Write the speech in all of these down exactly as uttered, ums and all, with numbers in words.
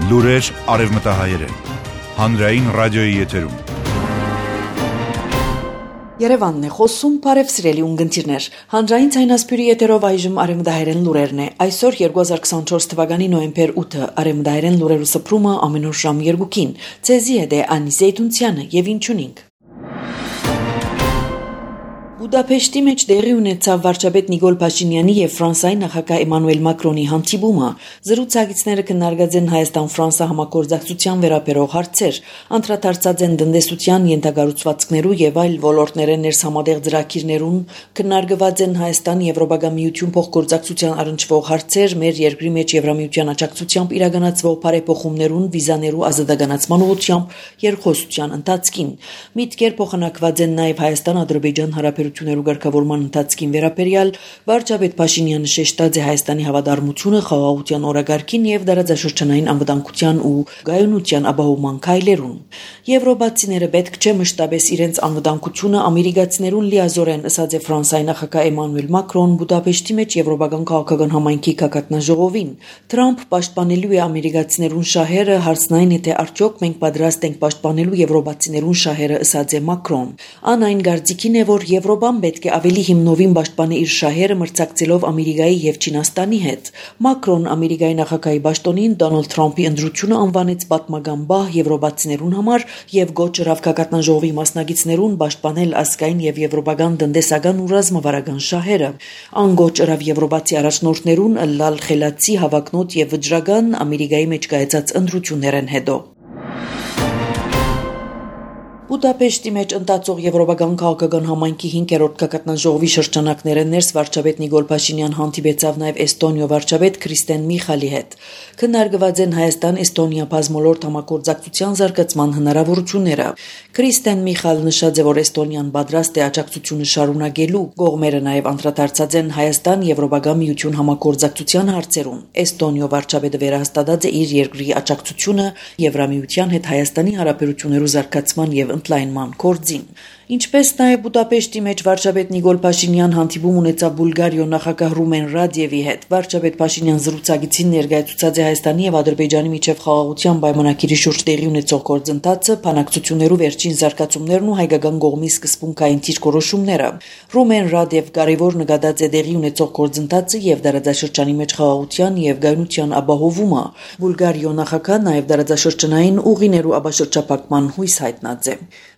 Լուրեր արևմտահայերեն, հանրային ռադիոյի եթերում։ Երևանն է խոսում, բարև սիրելի ունգընտիրներ։ Հանրային ցայնասպյուրի եթերով այժմ արևմտահայերեն լուրերն է։ Այսօր երկու հազար քսանչորս թվականի նոյեմբեր ութը արևմտահայերեն լուրերու սփռումը ամեն օր ժամ երկուին։ Ցեզի հետ է Անի Զեյթունցյանը եւ ինչունինք։ Բուդապեշտի մեջ տեղի ունեցավ վարչապետ Նիկոլ Փաշինյանի եւ Ֆրանսիայի նախագահ Էմանուել Մակրոնի հանդիպումը։ Զրուցակիցները քննարկած են Հայաստան-Ֆրանսա համագործակցության վերաբերող հարցեր, անդրադարձած են տնտեսության, ենթակառուցվածքներու եւ այլ ոլորտներեն ներսամատեղ ծրագիրներուն, քննարկված են Հայաստան-Եվրոպական միություն փոխգործակցության առնչվող հարցեր, մեր երկրի մեջ Եվրամիության աջակցությամբ իրականացվող բարեփոխումներուն, վիզաներու ազատականացման ուղղությամբ երկխոսության ընթացքին։ Միտքեր փոխանակված են նաեւ Հայաստան-Ադրբեջան հարաբերություններու ղեկավարման ընթացքին վերաբերյալ վարչապետ Փաշինյանը շեշտած է Հայաստանի հավատարմությունը խաղաղության օրագարկին եւ դարաձաշրջանային անվտանգության ու գայունության ապահովման քայլերուն։ Եվրոպացիները պետք չէ մշտապես իրենց անվտանգությունը ամերիկացիներուն լիազորեն, ըսած է Ֆրանսիայի նախագահ Էմանուել Մակրոն Բուդապեշտի մեջ Եվրոպական քաղաքական համայնքի գագաթնաժողովին։ Թրամփ պաշտպանելու է ամերիկացիներուն շահերը, հարցն այն է, թե արդյոք մենք պատրաստ ենք պաշտպանելու եվրոպացիներուն շահերը, ըսած է Մակրոն։ Ան այն գարձիկին է, որ Եվրոպան պետք է ավելի հիմնովին պաշտպանի իր շահերը մրցակցելով Ամերիկայի եւ Չինաստանի հետ։ Մակրոն Ամերիկայի նախագահի պաշտոնին Դոնալդ Թրամփի ընտրությունը անվանեց պատմական բահ եվրոպացիներուն համար եւ գոչ ըրավ գագաթնաժողովի մասնակիցներուն պաշտպանել ազգային եւ եվրոպական տնտեսական ու ռազմավարական շահերը։ Ան գոչ ըրավ եվրոպացի առաջնորդներուն լալ խելացի, հավակնոտ եւ վճռական Ամերիկայի մեջ կայացած ընտրություններն հետո։ Բուդապեշտի մեջ ընթացող Եվրոպական քաղաքական համայնքի հինգերորդ գագաթնաժողովի շրջանակներն ներս վարչապետ Նիկոլ Փաշինյան հանդիպեցավ նաև Էստոնիա վարչապետ Քրիստեն Միխալի հետ։ Քննարկված են Հայաստան-Էստոնիա բազմոլորտ համագործակցության զարգացման հնարավորությունները։ Քրիստեն Միխալ նշած է, որ Էստոնիան պատրաստ է աջակցությունը շարունակելու։ Կողմերը նաև անդրադարձած են Հայաստան-Եվրոպական միություն համագործակցության հարցերուն։ Էստոնիա վարչապետը վերահաստատած է իր երկրի աջակցությունը Եվրամիության հետ Հայաստանի հարաբերություններու զարգացման եւ ընդլայնման գործին։ Ինչպես նաև Բուդապեշտի մեջ վարչապետ Նիկոլ Փաշինյան հանդիպում ունեցավ Բուլգարիո նախագահ Ռումեն Ռադևի հետ։ Վարչապետ Փաշինյան զրուցակիցին ներկայացուցած է Հայաստանի եւ Ադրբեջանի միջև խաղաղության պայմանագիրի շուրջ տեղի ունեցող գործընթացը, բանակցություններու վերջին զարգացումներն ու հայկական կողմի սկզբունքային դիրքորոշումները։ Ռումեն Ռադև կարևոր նկատած է տեղի ունեցող գործընթացը եւ դարաձաշրջանի մեջ խաղաղության եւ գայունության ապահովումը։ Բուլգարիո նախագահ նաև դարաձաշրջանային ուղիներու ապաշրջապակման հույս հայտնած է։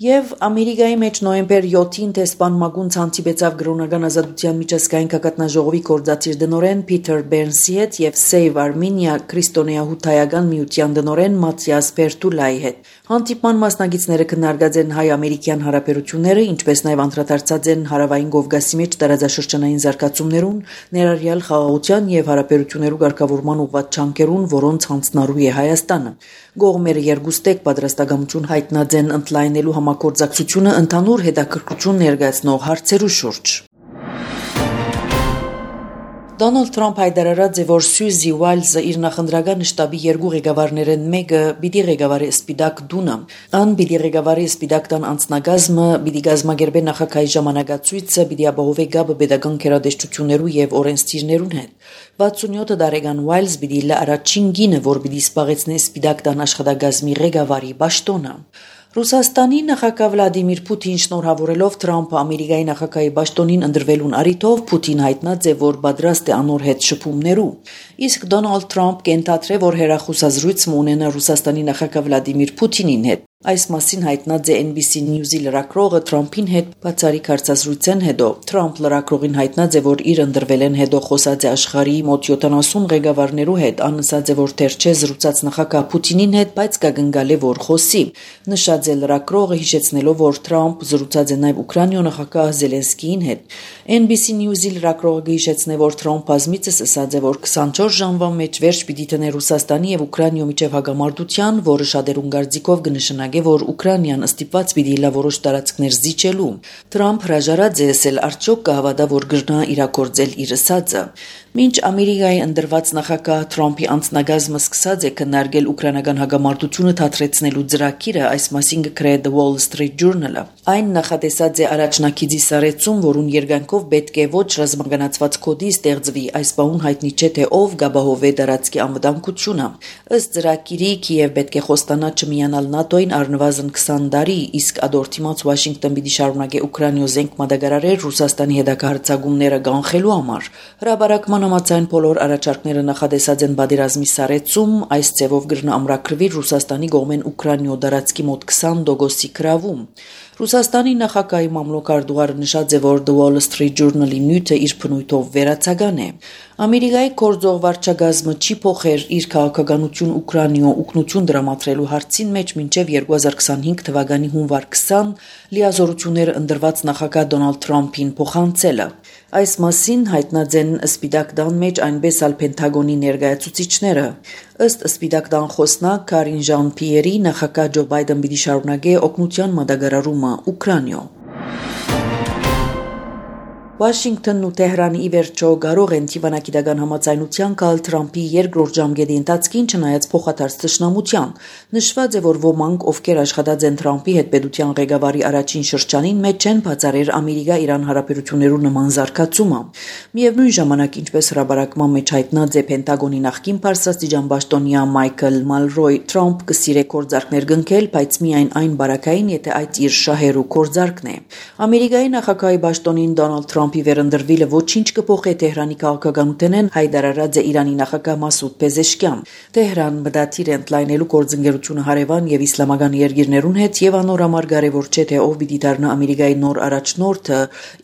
Եվ Ամերիկայի մեջ նոյեմբեր յոթին տեսփան Մագուն հանդիպեցավ գրոնական ազատության միջազգային գագաթնաժողովի գործադիր դնորեն Փիթեր Բերնսի հետ եւ Save Armenia քրիստոնեահութայական միության դնորեն Մաթիաս Պերտուլայի հետ։ Հանդիպման մասնակիցները քննարկած են հայ-ամերիկյան հարաբերությունները, ինչպես նաև անդրադարձած են հարավային Կովկասի մեջ տարածաշրջանային զարգացումներուն, ներառյալ խաղաղության եւ հարաբերություններու ղեկավարման ուղղված չանքերուն, որոնց հանձնարարու է Հայաստանը։ Կողմերը երկուստեք պատրաստակամություն հայտնած են ընդլայնելու համագործակցությունը ընդհանուր հետաքրքրություն ներկայացնող հարցերու շուրջ։ Դոնալդ Թրամփ հայտարարած է, որ Սյուզի Ուայլզը իր նախընտրական շտաբի երկու ղեկավարներն մեկը պիտի ղեկավարի Սպիտակ տունը։ Ան պիտի ղեկավարի Սպիտակ տան անձնագազմը, պիտի գազմագերբե նախագահի ժամանակացույցը, պիտի ապահովի գաբը պետական գերադեսչություններու եւ օրենսդիրներուն հետ։ վաթսունյոթ տարեկան Ուայլզ պիտի լա առաջին գինը, որ պիտի սպաղեցնի Սպիտակ տան աշխատակազմի ղեկավարի պաշտոնը։ Ռուսաստանի նախագահ Վլադիմիր Պուտին շնորհավորելով Թրամփը Ամերիկայի նախագահի պաշտոնին ընտրվելուն առիթով Պուտին հայտնած է, որ պատրաստ է անոր հետ շփումներու։ Իսկ Դոնալդ Թրամփ կենթադրե, որ հերախոսազրույց ունենա Ռուսաստանի նախագահ Վլադիմիր Պուտինին հետ։ Այս մասին հայտնած է N B C News-ի լրագրողը Թրամփին հետ բացառիկ հարցազրույցեն հետո։ Թրամփ լրագրողին հայտնած է, որ իր ընտրվելեն հետո խոսած է աշխարհի մոտ յոթանասուն ղեկավարներու հետ, անըսած է, որ թեր չէ զրուցած նախագահ Պուտինին հետ, բայց կգնգալ է, որ խոսի։ Նշած է լրագրողը, հիշեցնելով, որ Թրամփ զրուցած է նաև Ուկրաինայո նախագահ Զելենսկիին հետ։ N B C News-ի լրագրողը հիշեցնե, որ Թրամփ բազմիցս ասած է, որ քսանչորս ժամվա մեջ վերջ պիտի տնե Ռուսաստանի եւ Ուկրաինայո միջև հագամարտության, որը շատերուն կարծիքով կնշանակի շարունակե, որ Ուկրաինան ստիպված պիտի լա որոշ տարածքներ զիջելու։ Թրամփ հրաժարած է եսել արդյոք կհավատա, որ գրնա իրագործել իր ասածը։ Մինչ Ամերիկայի ընդրված նախագահ Թրամփի անձնագազմը սկսած է քննարկել ուկրաինական հագամարտությունը թատրեցնելու ծրագիրը, այս մասին գրել է The Wall Street Journal-ը։ Այն նախատեսած է առաջնակիցի սարեցում, որուն երգանքով պետք է ոչ ռազմագանացված կոդի ստեղծվի, այս բանուն հայտնի չէ թե ով գաբահովե դարածքի անվտանգությունը։ Ըստ ծրագիրի Կիև պետք է խոստանա չմիանալ ՆԱՏՕ-ին առնվազն քսան տարի, իսկ ադորտիմաց Վաշինգտոն պիտի շարունակե Ուկրաինայ զենք մատակարարել Ռուսաստանի հետաքրքրացագումները կանխելու համար։ Հրաբարակման համաձայն բոլոր առաջարկները նախադեսած են բادرազմի սարեցում, այս ձևով գրնա ամրագրվի Ռուսաստանի կողմեն Ուկրաինայ դարածքի մոտ քսան տոկոսի գրավում։ Ռուսաստանի նախագահի մամլոք Արդուղարը նշած է, որ The Wall Street Journal-ի նյութը իր բնույթով վերացական է։ Ամերիկայի գործող վարչակազմը չի փոխեր իր քաղաքականություն Ուկրաինայ օգնություն դրամատրելու հարցին մեջ մինչև երկու հազար քսանհինգ թվականի հունվար քսան լիազորությունները ընդրված նախագահ Դոնալդ Թրամփին փոխանցելը։ Այս մասին հայտնած են Սպիտակ տան մեջ այնպես ալ Պենտագոնի ներկայացուցիչները։ Ըստ Սպիտակ տան խոսնակ Կարին Ժան-Պիերի նախագահ Ջո Բայդեն պիտի շարունակե օգնության մատակարարումը Ուկրաինայ։ Վաշինգտոնն ու Թեհրանը ի վերջո կարող են թիվանագիտական համաձայնության գալ Թրամփի երկրորդ ժամկետի ընթացքին չնայած փոխադարձ թշնամության։ Նշված է, որ ոմանք, ովքեր աշխատած են Թրամփի հետ պետության ղեկավարի առաջին շրջանին, մեջ չեն բացառել Ամերիկա-Իրան հարաբերություններու նման զարգացումը։ Միևնույն ժամանակ, ինչպես հրաբարակման մեջ հայտնած է Պենտագոնի նախկին բարձրաստիճան պաշտոնյա Մայքլ Մալրոյ, Թրամփ կսիրե գործարքներ գնքել, բայց միայն այն բարակային, եթե այդ իր շահերու գործարքն է։ Ամերիկայի նախագահի պաշտոնին Դոնալդ Թրամփ Թրամփի վերընտրվելը ոչինչ կփոխի Թեհրանի քաղաքականութենեն հայտարարած է Իրանի նախագահ Մասուդ Պեզեշկյան։ Թեհրան մտադիր է ընդլայնելու գործընկերությունը հարևան եւ իսլամական երկիրներուն հետ եւ անոր համար կարեւոր չէ թե ով պիտի դառնա Ամերիկայի նոր առաջնորդը։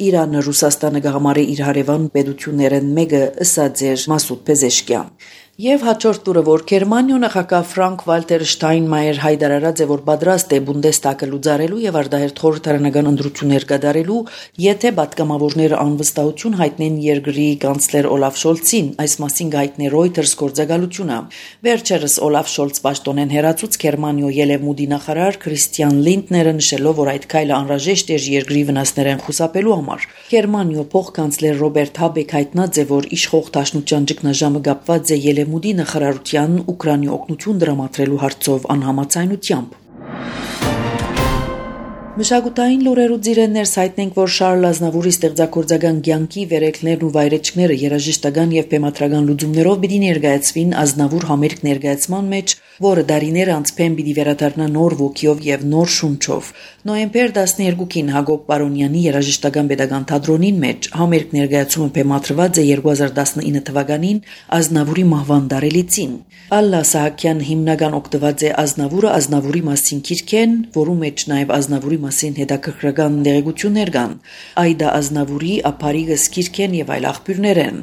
Իրանը Ռուսաստանը կհամարի իր հարևան պետություններեն մեկը, ըսած էր Մասուդ Պեզեշկյան։ Եվ հաջորդ տուրը, որ Գերմանիա նախագահ Ֆրանկ Վալտեր Շտայնմայեր հայտարարած է, որ պատրաստ է Բունդեստագը լուծարելու եւ արտահերթ խորհրդարանական ընտրություններ կատարելու, եթե պատգամավորները անվստահություն հայտնեն երկրի կանցլեր Օլաֆ Շոլցին, այս մասին հայտնել Reuters գործակալությունը։ Վերջերս Օլաֆ Շոլց պաշտոնեն հերացուց Գերմանիա ելևմուտի նախարար Քրիստիան Լինդները նշելով, որ այդ քայլը անհրաժեշտ է երկրի վնասներեն խուսափելու համար։ Գերմանիա փոխկանցլեր Ռոբերտ Հաբեկ հայտնած է, որ իշխող դաշնության ճգնաժամը կապված է Ելեմուտի նախարարության Ուկրաինայ օգնություն դրամատրելու հարցով անհամաձայնությամբ։ Մշակութային լուրերու ծիրեններս հայտնենք, որ Շարլ Ազնավուրի ստեղծագործական կյանքի վերելքներն ու վայրեջքները երաժշտական եւ բեմադրական լուծումներով պիտի ներկայացվին Ազնավուր համերգ ներկայացման մեջ, որը դարիներ անց փեմ պիտի վերադառնա նոր ոգիով եւ նոր շունչով։ Նոյեմբեր տասներկուին Հակոբ Պարոնյանի երաժշտական պետական թատրոնին մեջ համերգ ներկայացումը բեմադրված է երկու հազար տասնինը թվականին Ազնավուրի մահվան տարելիցին։ Ալլա Սահակյան հիմնական օգտված է Ազնավուրը Ազնավուրի մասին քիրքեն, որու մեջ նաեւ Ազնավուրի մասին հետաքրքրական դեղեցություններ կան։ Այդա Ազնավուրի ապարիգը սկիրքեն եւ այլ աղբյուրներ են։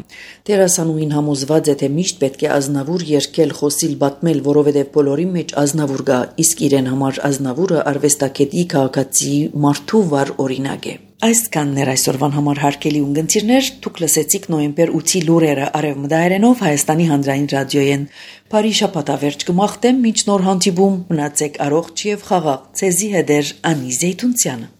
Դերասանուհին համոզված է, թե միշտ պետք է Ազնավուր երգել, խոսիլ, պատմել, որովհետեւ բոլորի մեջ Ազնավուր կա, իսկ իրեն համար Ազնավուրը արվեստագետի քաղաքացի մարդու վառ օրինակ է։ Այսքանն էր այսօրվան համար հարգելի ունգընտիրներ, դուք լսեցիք նոյեմբեր ութի լուրերը Արևմտայերենով Հայաստանի հանրային ռադիոյեն։ Բարի շաբաթավերջ կմաղթեմ, մինչ նոր հանդիպում, մնացեք առողջ եւ խաղաղ։ Ցեզի հետ էր Անի Զեյթունցյանը։